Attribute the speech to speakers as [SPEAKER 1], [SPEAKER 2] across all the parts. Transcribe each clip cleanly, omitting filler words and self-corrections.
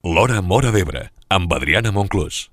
[SPEAKER 1] L'Hora Móra d'Ebre, amb Adriana Monclús.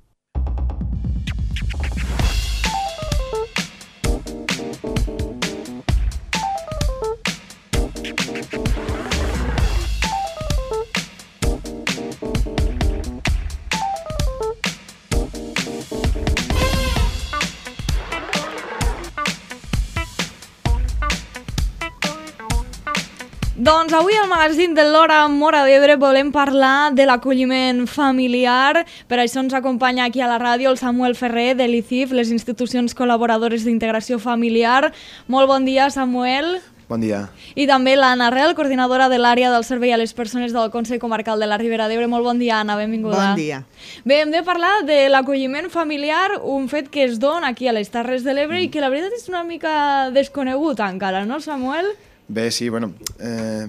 [SPEAKER 2] Doncs avui al magazín de l'Hora Móra d'Ebre volem parlar de l'acolliment familiar. Per això ens acompanya aquí a la ràdio el Samuel Ferrer de l'ICIF, les institucions col·laboradores d'integració familiar. Molt bon dia, Samuel.
[SPEAKER 3] Bon dia.
[SPEAKER 2] I també l'Anna Rel, coordinadora de l'àrea del servei a les persones del Consell Comarcal de la Ribera d'Ebre. Molt bon dia, Anna, benvinguda.
[SPEAKER 4] Bon dia.
[SPEAKER 2] Bé, hem de parlar de l'acolliment familiar, un fet que es dona aquí a les Terres de l'Ebre i que la veritat és una mica desconegut encara, no, Samuel?
[SPEAKER 3] Bé, sí, bueno,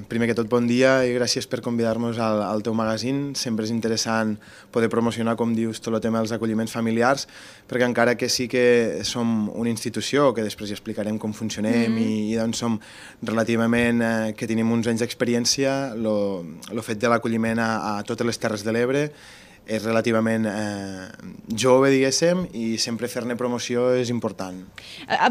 [SPEAKER 3] primer que tot bon dia i gràcies per convidar-nos al teu magazín. Sempre és interessant poder promocionar, com dius, tot el tema dels acolliments familiars, perquè encara que sí que som una institució, que després ja explicarem com funcionem i doncs som relativament, que tenim uns anys d'experiència, el fet de l'acolliment a totes les Terres de l'Ebre és relativament jove, diguéssim, i sempre fer-ne promoció és important.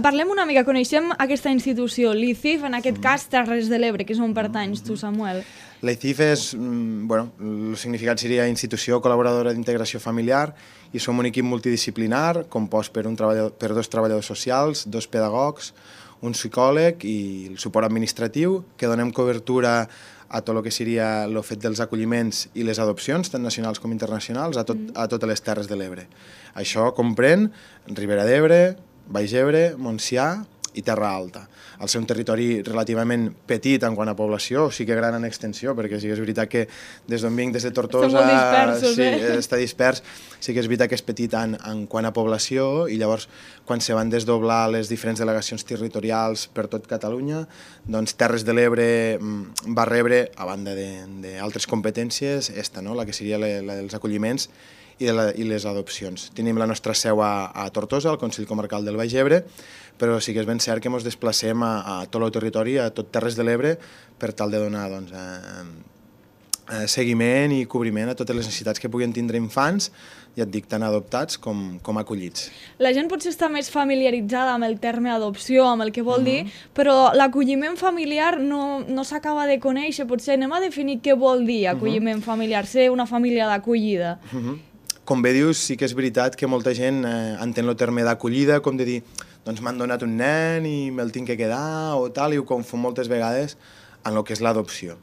[SPEAKER 2] Parlem una mica, coneixem aquesta institució, l'ICIF, en aquest cas Terres de l'Ebre, que és on pertanys tu, Samuel.
[SPEAKER 3] L'ICIF és, bueno, el significat seria Institució Col·laboradora d'Integració Familiar i som un equip multidisciplinar compost per dos treballadors socials, dos pedagogs, un psicòleg i el suport administratiu, que donem cobertura a tot el que seria el fet dels acolliments i les adopcions, tant nacionals com internacionals, a totes les Terres de l'Ebre. Això comprèn Ribera d'Ebre, Baix Ebre, Montsià i Terra Alta. Al ser un territori relativament petit en quant a població, sí que gran en extensió, perquè sí que és veritat que des d'on vinc, des de Tortosa, està dispers, sí que és veritat que és petit en quant a població, i llavors quan se van desdoblar les diferents delegacions territorials per tot Catalunya, doncs Terres de l'Ebre va rebre, a banda d'altres competències, la que seria la dels acolliments i les adopcions. Tenim la nostra seu a Tortosa, al Consell Comarcal del Baix Ebre, però sí que és ben cert que ens desplacem a tot el territori, a tot Terres de l'Ebre, per tal de donar seguiment i cobriment a totes les necessitats que puguin tindre infants, ja et dic, tant adoptats com acollits.
[SPEAKER 2] La gent potser està més familiaritzada amb el terme adopció, amb el que vol dir, però l'acolliment familiar no s'acaba de conèixer. Potser anem a definir què vol dir acolliment familiar, ser una família d'acollida.
[SPEAKER 3] Com bé dius, sí que és veritat que molta gent entén el terme d'acollida com de dir, doncs m'han donat un nen i me'l tinc que quedar o tal, i ho confon moltes vegades en el que és l'adopció.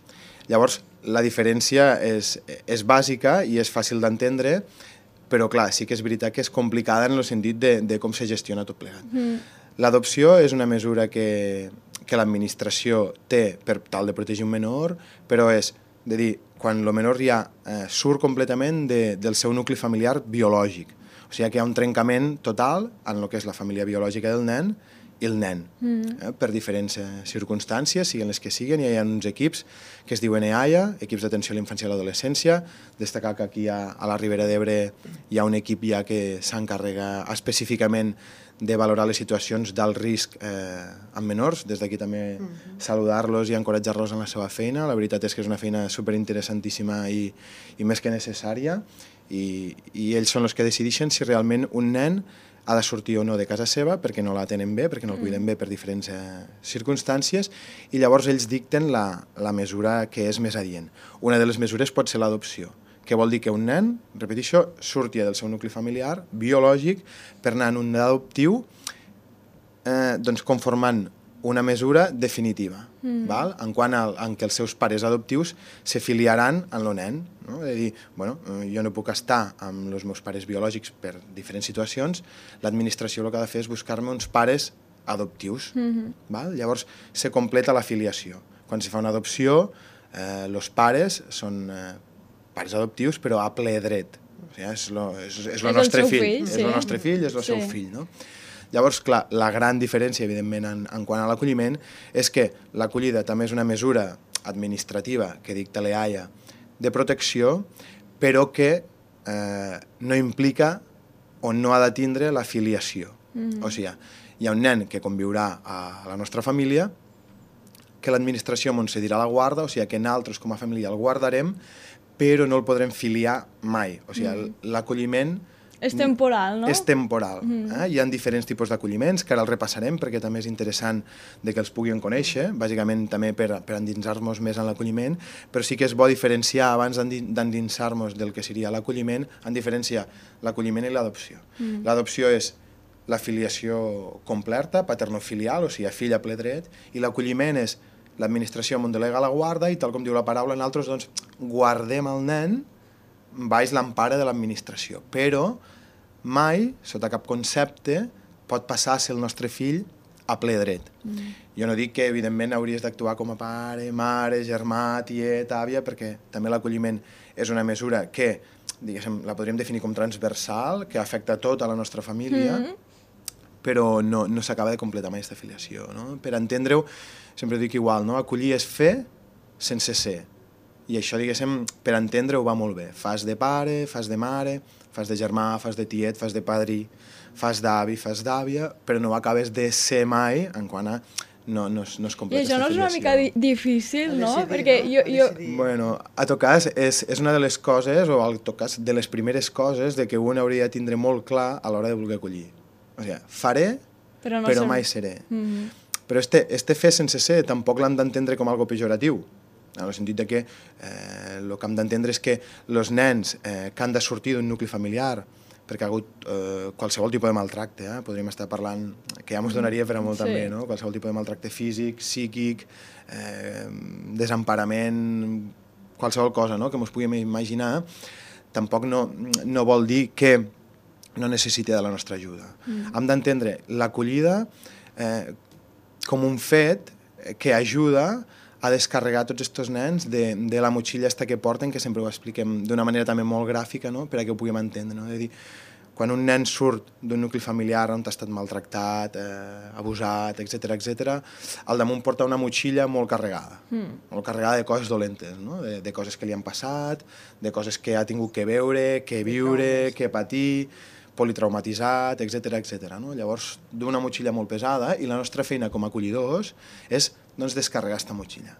[SPEAKER 3] Llavors, la diferència és bàsica i és fàcil d'entendre, però clar, sí que és veritat que és complicada en el sentit de com se gestiona tot plegat. L'adopció és una mesura que l'administració té per tal de protegir un menor, però és de dir, quan el menor ja surt completament del seu nucli familiar biològic. O sigui que hi ha un trencament total en el que és la família biològica del nen i el nen, per diferents circumstàncies, siguin les que siguin. Hi ha uns equips que es diuen EAIA, Equips d'Atenció a la Infància i a l'Adolescència. Destacar que aquí a la Ribera d'Ebre hi ha un equip ja que s'encarrega específicament de valorar les situacions d'alt risc amb menors. Des d'aquí també saludar-los i encoratjar-los en la seva feina. La veritat és que és una feina superinteressantíssima i més que necessària, i ells són els que decideixen si realment un nen ha de sortir o no de casa seva perquè no la tenen bé, perquè no el cuiden bé per diferents circumstàncies, i llavors ells dicten la mesura que és més adient. Una de les mesures pot ser l'adopció, que vol dir que un nen, repeteixo, surti del seu nucli familiar biològic per anar en un adoptiu, doncs conformant una mesura definitiva, en quant en què els seus pares adoptius se filiaran en el nen. És a dir, jo no puc estar amb els meus pares biològics per diferents situacions, l'administració el que ha de fer és buscar-me uns pares adoptius. Llavors se completa la filiació. Quan se fa una adopció, els pares són pares adoptius, però a ple dret. És el nostre fill, és el nostre fill, és el seu fill, no? Llavors, clar, la gran diferència, evidentment, en quant a l'acolliment, és que l'acollida també és una mesura administrativa que dicta l'EAIA de protecció, però que no implica o no ha de tindre la filiació. O sigui, hi ha un nen que conviurà a la nostra família, que l'administració ens cedirà la guarda, o sigui que nosaltres com a família el guardarem, però no el podrem filiar mai. O sigui, l'acolliment
[SPEAKER 2] És temporal, no?
[SPEAKER 3] és temporal. Hi ha diferents tipus d'acolliments, que ara els repassarem perquè també és interessant de que els puguin conèixer, bàsicament també per endinsar-nos més en l'acolliment, però sí que és bo diferenciar, abans d'endinsar-nos del que seria l'acolliment, en diferenciar l'acolliment i l'adopció. L'adopció és la filiació completa, paternofilial, o sigui, fill a ple dret, i l'acolliment és l'administració on delega la guarda i, tal com diu la paraula, nosaltres doncs, guardem el nen baix l'empara de l'administració, però mai, sota cap concepte, pot passar a ser el nostre fill a ple dret. Jo no dic que, evidentment, hauries d'actuar com a pare, mare, germà, tiet, àvia, perquè també l'acolliment és una mesura que, diguéssim, la podríem definir com transversal, que afecta tota la nostra família, però no s'acaba de completar mai aquesta filiació. No? Per entendre-ho, sempre dic igual, no? Acollir és fer sense ser. I això, diguéssim, per entendre-ho va molt bé. Fas de pare, fas de mare, fas de germà, fas de tiet, fas de padrí, fas d'avi, fas d'àvia, però no acabes de ser mai en quant a no es completa.
[SPEAKER 2] I això no és una mica difícil, no?
[SPEAKER 4] Decidir,
[SPEAKER 2] Perquè jo...
[SPEAKER 3] Bueno, a tot cas, és una de les coses, o al tot cas, de les primeres coses de que un hauria de tindre molt clar a l'hora de voler acollir. O sigui, faré, però mai seré. Però este fer sense ser tampoc l'hem d'entendre com algo pejoratiu, en el sentit de que el que hem d'entendre és que els nens que han de sortir d'un nucli familiar, perquè ha hagut qualsevol tipus de maltracte, podríem estar parlant, que ja ens donaria per a molt també, no? Qualsevol tipus de maltracte físic, psíquic, desemparament, qualsevol cosa, no? Que ens puguem imaginar, tampoc no vol dir que no necessiti de la nostra ajuda. Hem d'entendre l'acollida com un fet que ajuda a descarregar tots aquests nens de la motxilla esta que porten, que sempre ho expliquem d'una manera també molt gràfica, no? Per a que ho puguem entendre. No? És a dir, quan un nen surt d'un nucli familiar on ha estat maltractat, abusat, etc., al damunt porta una motxilla molt carregada de coses dolentes, no? De coses que li han passat, de coses que ha tingut que veure, que viure, que patir, politraumatitzat, etc. No? Llavors, d'una motxilla molt pesada, i la nostra feina com a acollidors és descarregar aquesta motxilla.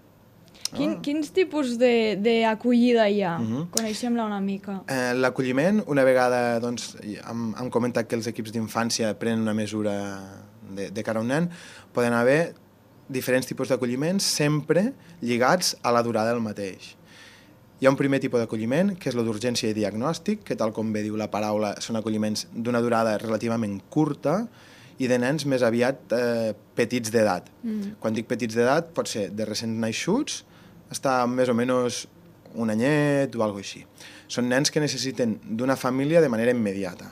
[SPEAKER 2] Quins tipus d'acollida hi ha? Coneixem-la una mica.
[SPEAKER 3] L'acolliment, una vegada hem comentat que els equips d'infància prenen una mesura de cara a un nen, poden haver diferents tipus d'acolliments sempre lligats a la durada del mateix. Hi ha un primer tipus d'acolliment, que és el d'urgència i diagnòstic, que tal com bé diu la paraula, són acolliments d'una durada relativament curta i de nens més aviat petits d'edat. Quan dic petits d'edat, pot ser de recents naixuts, està més o menys un anyet o alguna cosa així. Són nens que necessiten d'una família de manera immediata,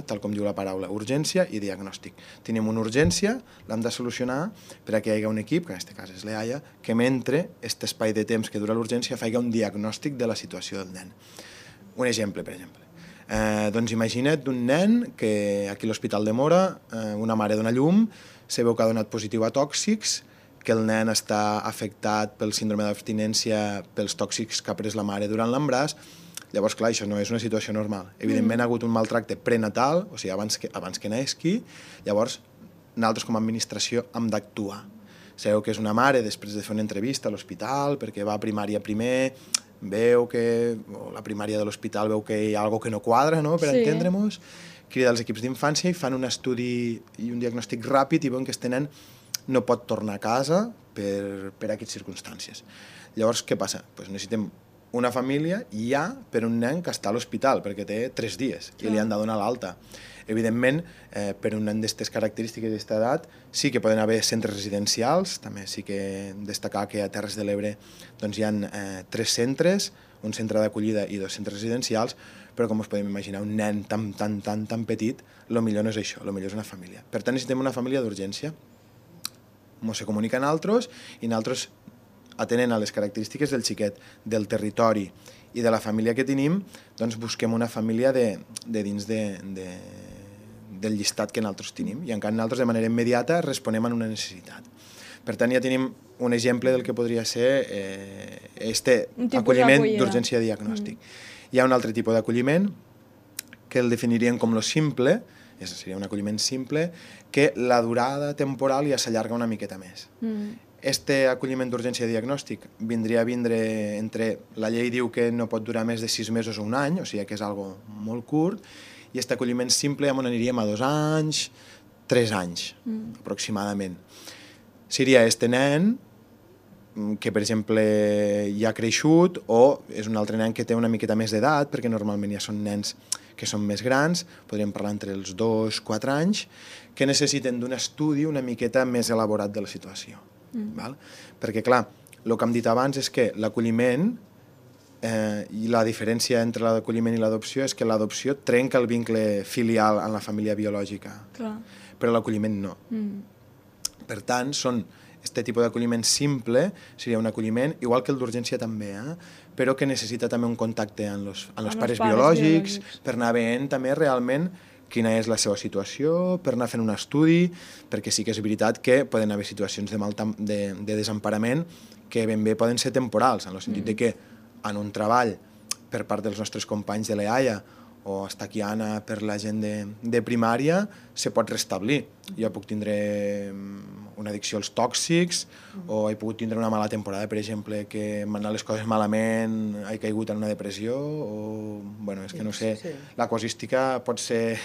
[SPEAKER 3] tal com diu la paraula, urgència i diagnòstic. Tenim una urgència, l'hem de solucionar per a que hi hagi un equip, que en aquest cas és l'EAIA, que mentre aquest espai de temps que dura l'urgència faci un diagnòstic de la situació del nen. Un exemple, per exemple. Doncs imagina't un nen que aquí a l'Hospital de Móra una mare dona llum, se veu que ha donat positiu a tòxics, que el nen està afectat pel síndrome d'abstinència pels tòxics que ha pres la mare durant l'embaràs. Llavors, clar, això no és una situació normal. Evidentment, ha hagut un maltracte prenatal, o sigui, abans que naixi. Llavors, nosaltres com a administració hem d'actuar. Sabeu que és una mare, després de fer una entrevista a l'hospital, perquè va a primària primer, veu que la primària de l'hospital veu que hi ha alguna cosa que no quadra, no?, per entendre-nos, crida els equips d'infància i fan un estudi i un diagnòstic ràpid i veuen que este nen no pot tornar a casa per aquestes circumstàncies. Llavors, què passa? Pues necessitem una família ja per un nen que està a l'hospital, perquè té 3 dies i li han de donar l'alta. Evidentment, per un nen d'aquestes característiques d'aquesta edat, sí que poden haver centres residencials, també sí que destacar que a Terres de l'Ebre hi ha 3 centres, un centre d'acollida i 2 centres residencials, però com us podem imaginar, un nen tan petit, el millor no és això, el millor és una família. Per tant, necessitem una família d'urgència. Ens comunica a nosaltres i nosaltres, atenent a les característiques del xiquet, del territori i de la família que tenim, doncs busquem una família de dins del llistat que nosaltres tenim i encara nosaltres de manera immediata responem a una necessitat. Per tant, ja tenim un exemple del que podria ser acolliment d'urgència diagnòstic. Hi ha un altre tipus d'acolliment que el definirien com lo simple, seria un acolliment simple, que la durada temporal ja s'allarga una miqueta més. Este acolliment d'urgència diagnòstic vindria a vindre entre... La llei diu que no pot durar més de 6 mesos o un any, o sigui que és algo molt curt, i aquest acolliment simple on aniríem a 2 anys, 3 anys, aproximadament. Seria este nen que, per exemple, ja ha creixut, o és un altre nen que té una miqueta més d'edat, perquè normalment ja són nens que són més grans, podríem parlar entre els 2 i 4 anys, que necessiten d'un estudi una miqueta més elaborat de la situació. Val? Perquè, clar, el que hem dit abans és que l'acolliment, i la diferència entre l'acolliment i l'adopció és que l'adopció trenca el vincle filial en la família biològica, però l'acolliment no. Per tant, aquest tipus d'acolliment simple seria un acolliment, igual que el d'urgència també, però que necessita també un contacte amb els pares biològics per anar veient també realment quina és la seva situació, per anar fent un estudi, perquè sí que és veritat que poden haver situacions de desemparament que ben bé poden ser temporals, en el sentit de que en un treball per part dels nostres companys de l'EAIA o està aquí Anna per la gent de primària, se pot restablir. Jo puc tindre una addicció als tòxics, o he pogut tindre una mala temporada, per exemple, que m'han anat les coses malament, he caigut en una depressió, o... Bueno, és que no sé, la casuística pot ser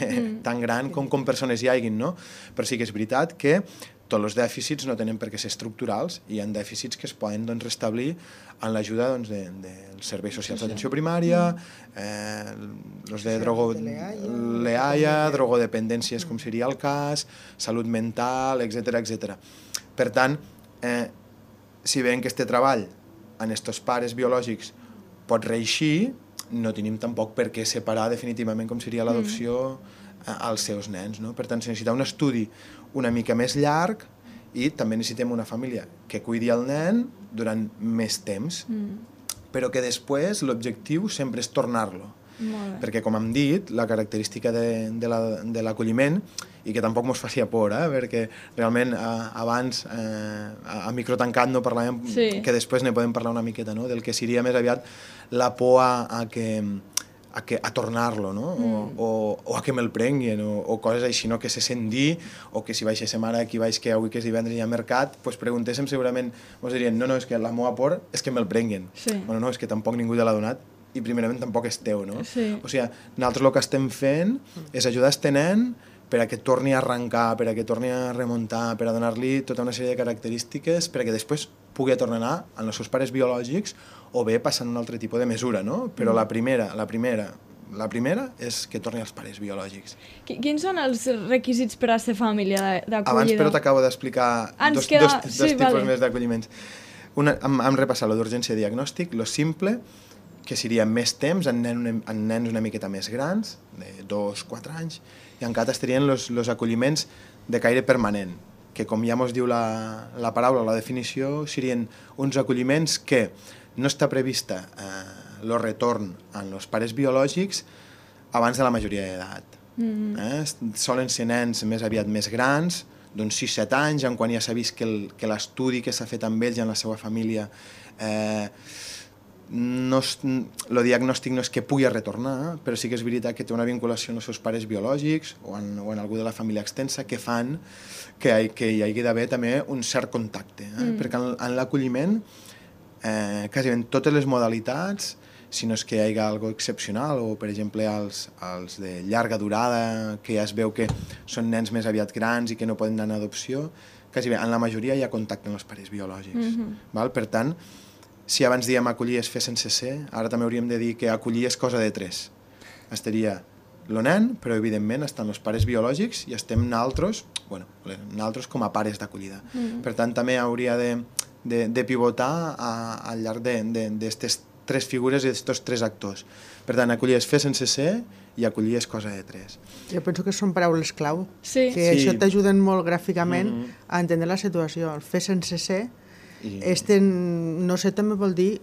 [SPEAKER 3] tan gran com persones hi haguin, no? Però sí que és veritat que tots els dèficits no tenen per què ser estructurals, i hi ha dèficits que es poden restablir amb l'ajuda dels serveis socials d'atenció primària, els de l'EAIA, drogodependències, com seria el cas, salut mental, etc. Per tant, si veiem que este treball en estos pares biològics pot reeixir, no tenim tampoc per què separar definitivament com seria l'adopció als seus nens, no? Per tant, se necessita un estudi una mica més llarg i també necessitem una família que cuidi el nen durant més temps, però que després l'objectiu sempre és tornar-lo. Perquè, com hem dit, la característica de l'acolliment, i que tampoc mos faci por, perquè realment abans a micro tancat no parlàvem, que després ne podem parlar una miqueta, no? Del que seria més aviat la por a tornar-lo, no? O a que me'l prenguin, o coses així, no? Que se sent dir, o que si baixéssim ara aquí baix, que avui que és divendres hi ha mercat, doncs preguntéssim segurament, ens dirien, no, és que la meva por és que me'l prenguin. Bueno, no, és que tampoc ningú te l'ha donat, i primerament tampoc és teu, no? O sigui, nosaltres el que estem fent és ajudar este nen per a que torni a arrencar, per a que torni a remuntar, per a donar-li tota una sèrie de característiques per a que després pugui tornar a anar amb els seus pares biològics o bé passant un altre tipus de mesura, no? Però la primera és que torni als pares biològics.
[SPEAKER 2] Quins són els requisits per a ser família d'acollida?
[SPEAKER 3] Abans, però, t'acabo d'explicar dos tipus més d'acolliments. Hem repassat lo d'urgència diagnòstic, lo simple, que seria més temps en nens una miqueta més grans, de 2-4 anys, i encara estarien els acolliments de caire permanent, que com ja ens diu la paraula, la definició, serien uns acolliments que no està prevista el retorn en els pares biològics abans de la majoria d'edat. Solen ser nens més aviat més grans, d'uns 6-7 anys, en quan ja s'ha vist que l'estudi que s'ha fet amb ells i amb la seva família el diagnòstic no és que pugui retornar, però sí que és veritat que té una vinculació amb els seus pares biològics o en algú de la família extensa que fan que hi hagi d'haver també un cert contacte. Perquè en l'acolliment, quasi en totes les modalitats, si no és que hi hagi alguna excepcional, o per exemple els de llarga durada, que ja es veu que són nens més aviat grans i que no poden anar en adopció, quasi bé, en la majoria hi ha contacte amb els pares biològics. Per tant, si abans dèiem acollir és fer sense ser, ara també hauríem de dir que acollir és cosa de 3. Estaria el nen, però evidentment estan els pares biològics i estem nosaltres com a pares d'acollida. Per tant, també hauria de pivotar al llarg d'aquestes 3 figures i d'aquests 3 actors. Per tant, acollir és fer sense ser i acollir és cosa de 3.
[SPEAKER 4] Jo penso que són paraules clau, que això t'ajuden molt gràficament a entendre la situació. El fer sense ser, no sé, també vol dir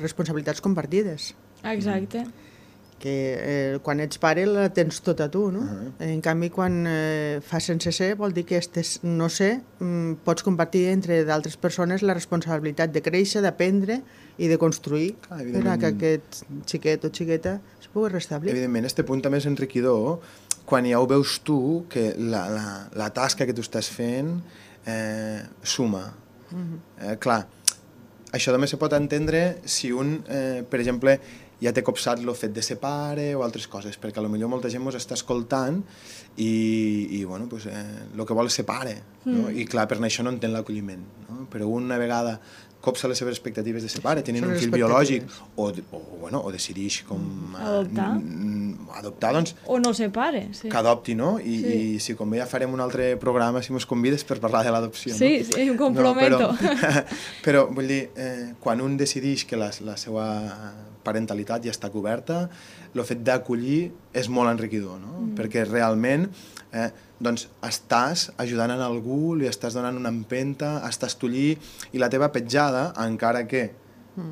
[SPEAKER 4] responsabilitats compartides.
[SPEAKER 2] Exacte.
[SPEAKER 4] Que quan ets pare la tens tot a tu, no? En canvi, quan fas sense ser, vol dir que no sé, pots compartir entre d'altres persones la responsabilitat de créixer, d'aprendre i de construir per a que aquest xiquet o xiqueta es pugui restablir.
[SPEAKER 3] Evidentment, aquest punt també és enriquidor quan ja ho veus tu, que la tasca que tu estàs fent suma. Clar, això també se pot entendre si un, per exemple, ja té copsat el fet de ser pare o altres coses, perquè potser molta gent ens està escoltant i bueno, pues, el que vol és ser pare, no? I clar, per això no entén l'acolliment, no? Però una vegada copsa les seves expectatives de ser pare, tenint un fill biològic o decideix com adoptar, doncs
[SPEAKER 2] o no ser pare, sí.
[SPEAKER 3] Que adopti, no? I si com bé ja farem un altre programa si mos convides per parlar de l'adopció, no?
[SPEAKER 2] Sí, em comprometo.
[SPEAKER 3] Però vull dir, quan un decideix que la seva parentalitat ja està coberta, el fet d'acollir és molt enriquidor, no? Perquè realment doncs estàs ajudant a algú, li estàs donant una empenta, estàs tu allí, i la teva petjada, encara que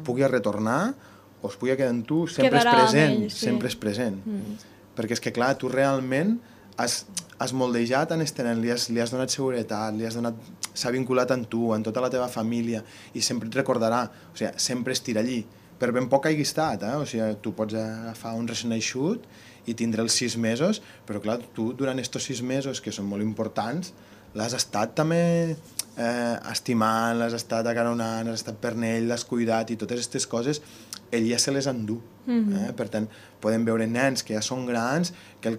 [SPEAKER 3] pugui retornar o es pugui quedar amb tu, sempre és present, sempre és present. Perquè és que, clar, tu realment has moldejat en este nen, li has donat seguretat, s'ha vinculat amb tu, amb tota la teva família, i sempre et recordarà, o sigui, sempre estirà allí. Per ben poc hagi estat, o sigui, tu pots agafar un recent naixut i tindre els 6 mesos, però clar, tu durant estos 6 mesos, que són molt importants, l'has estat també estimant, l'has estat acaronant, l'has estat per ell, l'has cuidat, i totes aquestes coses ell ja se les endú. Per tant, podem veure nens que ja són grans, que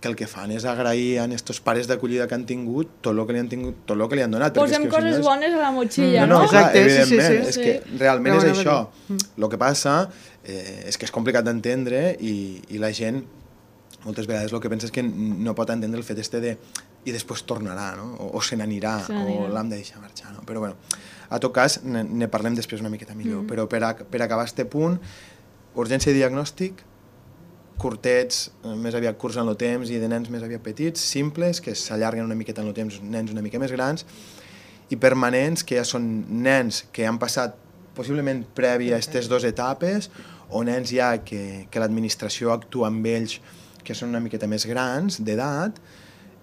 [SPEAKER 3] el que fan és agrair a estos pares d'acollida que han tingut tot el que li han tingut, tot el que li han donat.
[SPEAKER 2] Posem coses bones a la motxilla,
[SPEAKER 3] no?
[SPEAKER 4] Exacte,
[SPEAKER 3] evidentment, és que realment és això. El que passa és que és complicat d'entendre i la gent moltes vegades el que pensa és que no pot entendre el fet de i després tornarà, no? O se n'anirà, o l'hem de deixar marxar, no? Però bueno, a tot cas ne parlem després una miqueta millor, però per acabar este punt, urgència i diagnòstic, curtets, més aviat curts en el temps i de nens més aviat petits, simples, que s'allarguen una miqueta en el temps, nens una mica més grans, i permanents, que ja són nens que han passat possiblement prèvia a aquestes 2 etapes, o nens ja que l'administració actua amb ells que són una miqueta més grans, d'edat,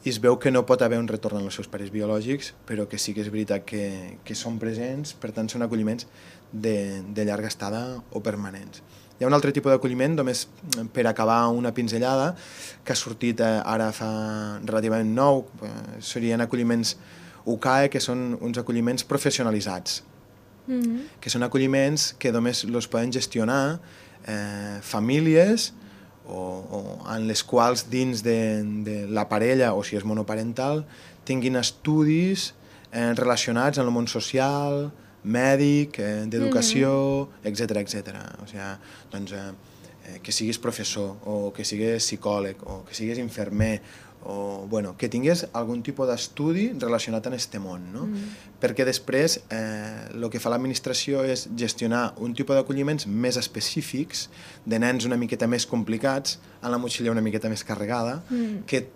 [SPEAKER 3] i es veu que no pot haver un retorn als seus pares biològics, però que sí que és veritat que són presents, per tant són acolliments de llarga estada o permanents. Hi ha un altre tipus d'acolliment, només per acabar una pinzellada, que ha sortit ara fa relativament nou, serien acolliments UCAE, que són uns acolliments professionalitzats, que són acolliments que només els poden gestionar famílies o en les quals dins de la parella, o si és monoparental, tinguin estudis relacionats amb el món social, mèdic, d'educació, etc. O sigui, doncs, que siguis professor, o que siguis psicòleg, o que siguis infermer, o bueno, que tingués algun tipus d'estudi relacionat amb aquest món, no? Perquè després el que fa l'administració és gestionar un tipus d'acolliments més específics, de nens una miqueta més complicats, amb la motxilla una miqueta més carregada, que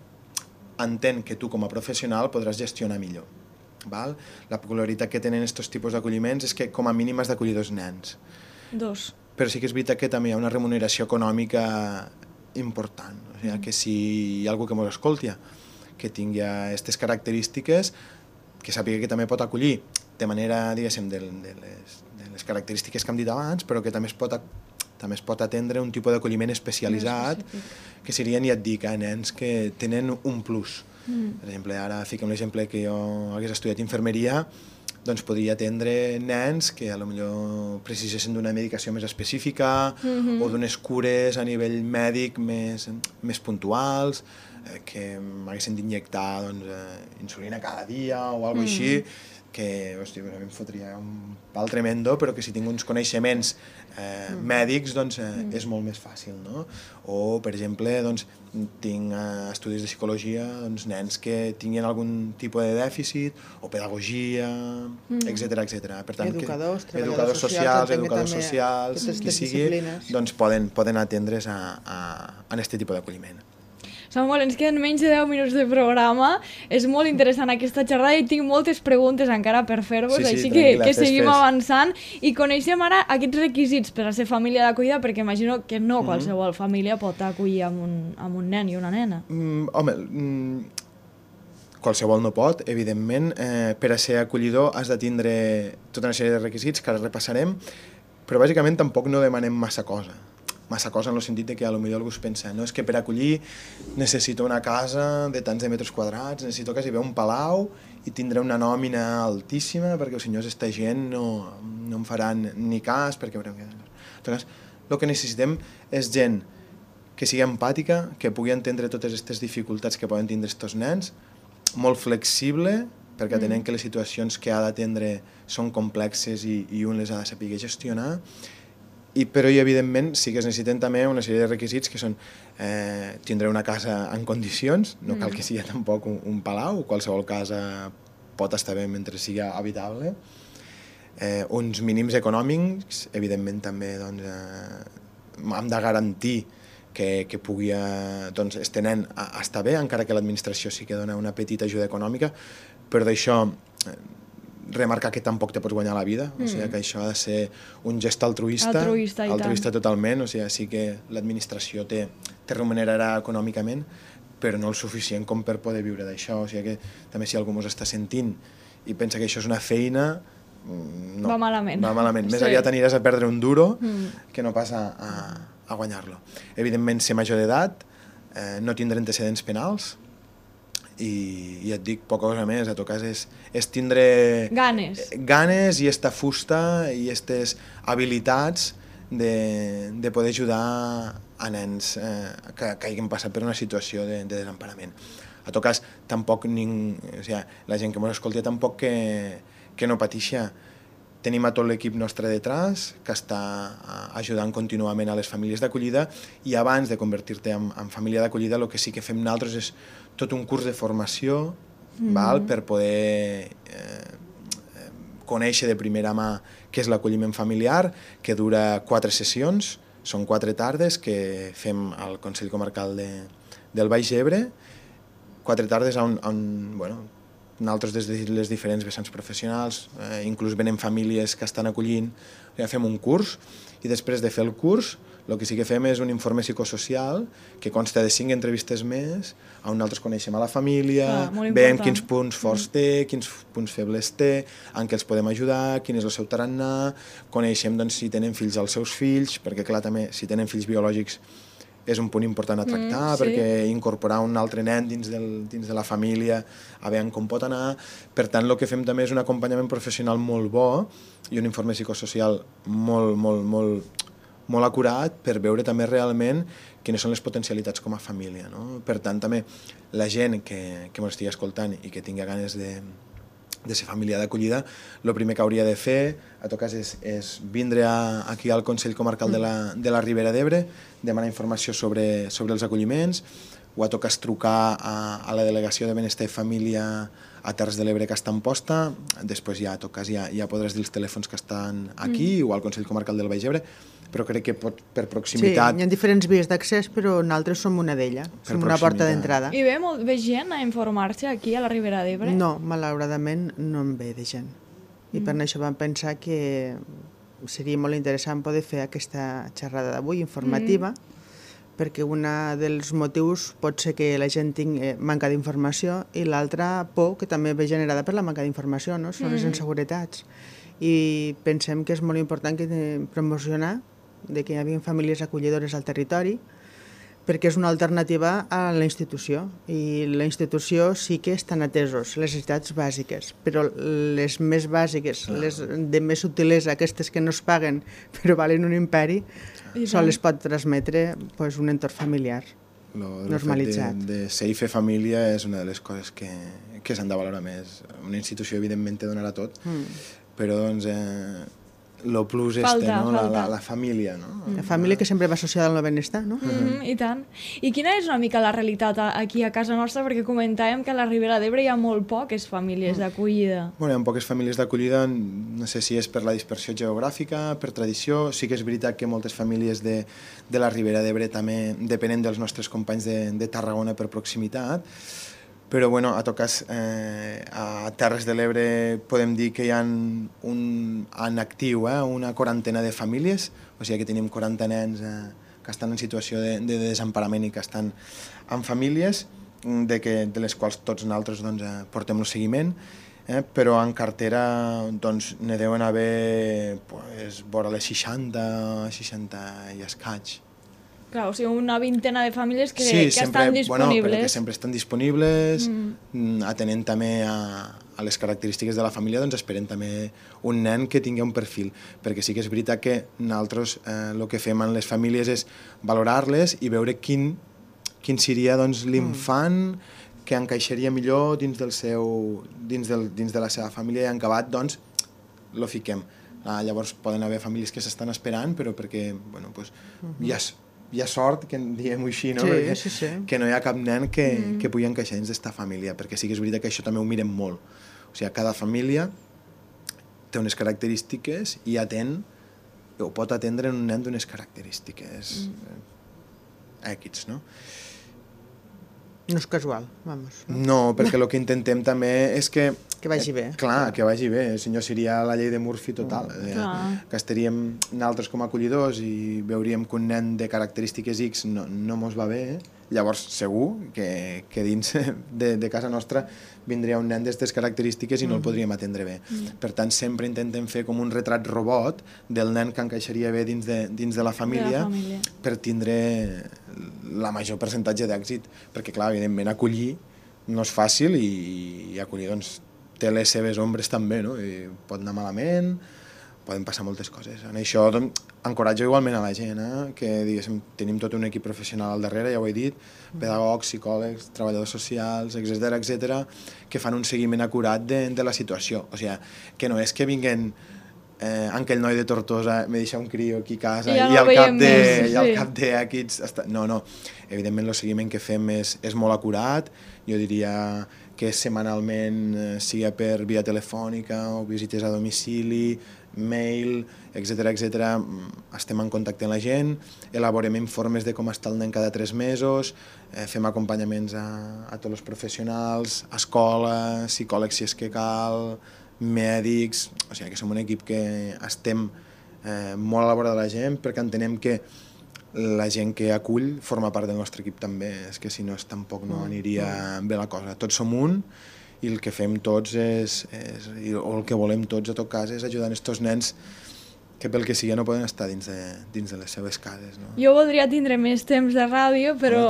[SPEAKER 3] entén que tu com a professional podràs gestionar millor. Val? La peculiaritat que tenen aquests tipus d'acolliments és que com a mínim has d'acollir 2 nens.
[SPEAKER 2] 2.
[SPEAKER 3] Però sí que és veritat que també hi ha una remuneració econòmica important, o sigui, que si hi ha algú que ens escolti, que tingui aquestes característiques, que sàpiga que també pot acollir de manera, diguéssim, de les característiques que hem dit abans, però que també es pot atendre un tipus d'acolliment especialitzat, que serien, ja et dic, nens que tenen un plus. Per exemple, ara fiquem l'exemple que jo hagués estudiat infermeria, doncs podria atendre nens que potser precisessin d'una medicació més específica o d'unes cures a nivell mèdic més puntuals, que m'haguessin d'injectar insulina cada dia o alguna cosa així, que hòstia, a mi em fotria un pal tremendo, però que si tinc uns coneixements mèdics doncs és molt més fàcil, no? O, per exemple, doncs, tinc estudis de psicologia, doncs, nens que tinguin algun tipus de dèficit, o pedagogia, etc. Per tant, educadors socials, qui sigui, doncs poden atendre's a aquest tipus d'acolliment.
[SPEAKER 2] Samuel, ens queden menys de 10 minuts de programa. És molt interessant aquesta xerrada i tinc moltes preguntes encara per fer-vos, així que seguim avançant i coneixem ara aquests requisits per a ser família d'acollida, perquè imagino que no qualsevol família pot acollir amb un nen i una nena.
[SPEAKER 3] Home, qualsevol no pot, evidentment. Per a ser acollidor has de tindre tota una sèrie de requisits que ara repassarem, però bàsicament tampoc no demanem massa cosa. massa cosa en el sentit de que potser algú es pensa no, és que per acollir necessito una casa de tants de metres quadrats, necessito quasi bé un palau i tindré una nòmina altíssima perquè els senyors esta gent no em faran ni cas perquè... Llavors, el que necessitem és gent que sigui empàtica, que pugui entendre totes aquestes dificultats que poden tindre aquests nens, molt flexible, perquè tenen que les situacions que ha d'atendre són complexes i un les ha de saber gestionar, però evidentment sí que es necessiten també una sèrie de requisits que són tindre una casa en condicions, no cal que sigui tampoc un palau, qualsevol casa pot estar bé mentre sigui habitable, uns mínims econòmics, evidentment també hem de garantir que pugui este nen estar bé, encara que l'administració sí que dona una petita ajuda econòmica, però d'això remarcar que tampoc te pots guanyar la vida, o sigui que això ha de ser un gest altruista totalment, o sigui, sí que l'administració te remunerarà econòmicament, però no el suficient com per poder viure d'això, o sigui que també si algú ens està sentint i pensa que això és una feina, no.
[SPEAKER 2] Va malament.
[SPEAKER 3] Va malament. Més aviat aniràs a perdre un duro que no pas a guanyar-lo. Evidentment, ser major d'edat, no tindre antecedents penals, i et dic poca cosa més, a tot cas és tindre ganes i esta fusta i aquestes habilitats de poder ajudar a nens que hagin passat per una situació de desemparament. A tot cas, tampoc la gent que ens escolta tampoc que no patixa. Tenim a tot l'equip nostre detrás que està ajudant contínuament a les famílies d'acollida i abans de convertir-te en família d'acollida el que sí que fem nosaltres és tot un curs de formació per poder conèixer de primera mà què és l'acolliment familiar, que dura 4 sessions, són 4 tardes que fem al Consell Comarcal del Baix Ebre, 4 tardes on nosaltres des de les diferents vessants professionals, inclús venen famílies que estan acollint, ja fem un curs i després de fer el curs el que sí que fem és un informe psicosocial que consta de 5 entrevistes més on nosaltres coneixem a la família, veiem quins punts forts té, quins punts febles té, en què els podem ajudar, quin és el seu tarannà, coneixem si tenen fills als seus fills, perquè clar també si tenen fills biològics és un punt important a tractar, perquè incorporar un altre nen dins de la família, a veure com pot anar. Per tant, el que fem també és un acompanyament professional molt bo i un informe psicosocial molt acurat per veure també realment quines són les potencialitats com a família. Per tant, també la gent que m'ho estigui escoltant i que tingui ganes de ser família d'acollida, el primer que hauria de fer, a tot cas, és vindre aquí al Consell Comarcal de la Ribera d'Ebre, demanar informació sobre els acolliments, o a tot cas trucar a la Delegació de Benestar i Família a Terres de l'Ebre que està en posta, després ja, a tot cas, ja podràs dir els telèfons que estan aquí o al Consell Comarcal del Baix Ebre, però crec que per proximitat...
[SPEAKER 4] Sí, hi ha diferents vies d'accés, però nosaltres som una d'elles, som una porta d'entrada.
[SPEAKER 2] I ve molt gent a informar-se aquí a la Ribera d'Ebre?
[SPEAKER 4] No, malauradament no en ve de gent. I per això vam pensar que seria molt interessant poder fer aquesta xerrada d'avui, informativa, perquè un dels motius pot ser que la gent tingui manca d'informació i l'altra por, que també ve generada per la manca d'informació, no? Són les inseguretats. I pensem que és molt important promocionar que hi hagi famílies acollidores al territori, perquè és una alternativa a la institució. I la institució sí que estan atesos, les necessitats bàsiques, però les més bàsiques, les de més sutilesa, aquestes que no es paguen però valen un imperi, sols les pot transmetre un entorn familiar normalitzat.
[SPEAKER 3] El fet de ser i fer família és una de les coses que s'han de valorar més. Una institució, evidentment, te donarà tot, però el plus la família, no?
[SPEAKER 4] La família que sempre va associada al benestar, no?
[SPEAKER 2] I tant. I quina és una mica la realitat aquí a casa nostra? Perquè comentàvem que a la Ribera d'Ebre hi ha molt poques famílies d'acollida.
[SPEAKER 3] Hi ha poques famílies d'acollida, no sé si és per la dispersió geogràfica, per tradició. Sí que és veritat que moltes famílies de la Ribera d'Ebre també depenen dels nostres companys de Tarragona per proximitat, però a tot cas a Terres de l'Ebre podem dir que hi ha en actiu una quarantena de famílies, o sigui que tenim 40 nens que estan en situació de desemparament i que estan en famílies, de les quals tots nosaltres portem el seguiment, però en cartera ne deuen haver vora les 60 i escaig.
[SPEAKER 2] Clar, o sigui, una vintena de famílies que
[SPEAKER 3] sempre,
[SPEAKER 2] estan disponibles.
[SPEAKER 3] Bueno, perquè sempre estan disponibles, atenent també a les característiques de la família, doncs esperem també un nen que tingui un perfil, perquè sí que és veritat que nosaltres el que fem en les famílies és valorar-les i veure quin seria doncs, l'infant que encaixaria millor dins de la seva família i en acabat, doncs, lo fiquem. Llavors poden haver famílies que s'estan esperant, però perquè bueno, pues, hi ha sort, que diguem-ho així, no?
[SPEAKER 4] Sí.
[SPEAKER 3] Que no hi ha cap nen que pugui encaixar dins d'esta família, perquè sí que és veritat que això també ho mirem molt. O sigui, cada família té unes característiques i pot atendre un nen d'unes característiques èquids, no?
[SPEAKER 4] No és casual, vamos.
[SPEAKER 3] No, perquè el que intentem també és que...
[SPEAKER 4] Que vagi bé.
[SPEAKER 3] Clar, que vagi bé, si no seria la llei de Murphy total. Que estaríem nosaltres com a acollidors i veuríem que un nen de característiques X no mos va bé, llavors segur que dins de casa nostra vindria un nen d'aquestes característiques i no el podríem atendre bé. Per tant, sempre intentem fer com un retrat robot del nen que encaixaria bé dins de la família per tindre la major percentatge d'èxit, perquè clar, evidentment acollir no és fàcil i acollir doncs té les seves ombres també, no? I pot anar malament, poden passar moltes coses. En això encoratjo igualment a la gent, que diguéssim, tenim tot un equip professional al darrere, ja ho he dit, pedagogs, psicòlegs, treballadors socials, etc., que fan un seguiment acurat de la situació. O sigui, que no és que vinguen aquell noi de Tortosa me deixa un criu aquí a casa i al cap d'aquests... No, evidentment el seguiment que fem és molt acurat, jo diria que setmanalment sigui per via telefònica o visites a domicili, mail, etc. Estem en contacte amb la gent, elaborem informes de com està el nen cada 3 mesos, fem acompanyaments a tots els professionals, escola, psicòlegs si és que cal, mèdics... O sigui que som un equip que estem molt a la vora de la gent perquè entenem que la gent que acull forma part del nostre equip també, és que si no tampoc no aniria bé la cosa. Tots som un i el que fem tots o el que volem tots a tot cas és ajudar aquests nens que pel que sigui no poden estar dins de les seves cases. No?
[SPEAKER 2] Jo voldria tindre més temps de ràdio, però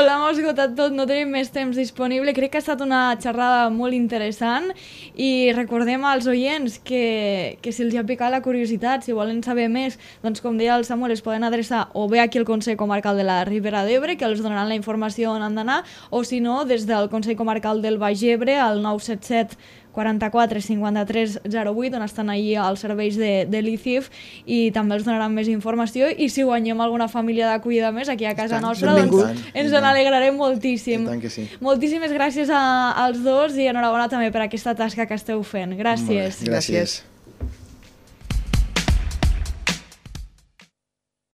[SPEAKER 2] l'hem esgotat tot, no tenim més temps disponible. Crec que ha estat una xerrada molt interessant i recordem als oients que si els ha picat la curiositat, si volen saber més, doncs com deia el Samuel, es poden adreçar o bé aquí al Consell Comarcal de la Ribera d'Ebre, que els donaran la informació on han d'anar, o si no, des del Consell Comarcal del Baix Ebre, al 977 44 53 08, on estan allà els serveis de l'ICIF i també els donaran més informació i si guanyem alguna família d'acollida més aquí a casa nostra, doncs ens n'alegrarem moltíssim.
[SPEAKER 3] I tant que sí.
[SPEAKER 2] Moltíssimes gràcies als dos i enhorabona també per aquesta tasca que esteu fent. Gràcies.
[SPEAKER 3] Gràcies.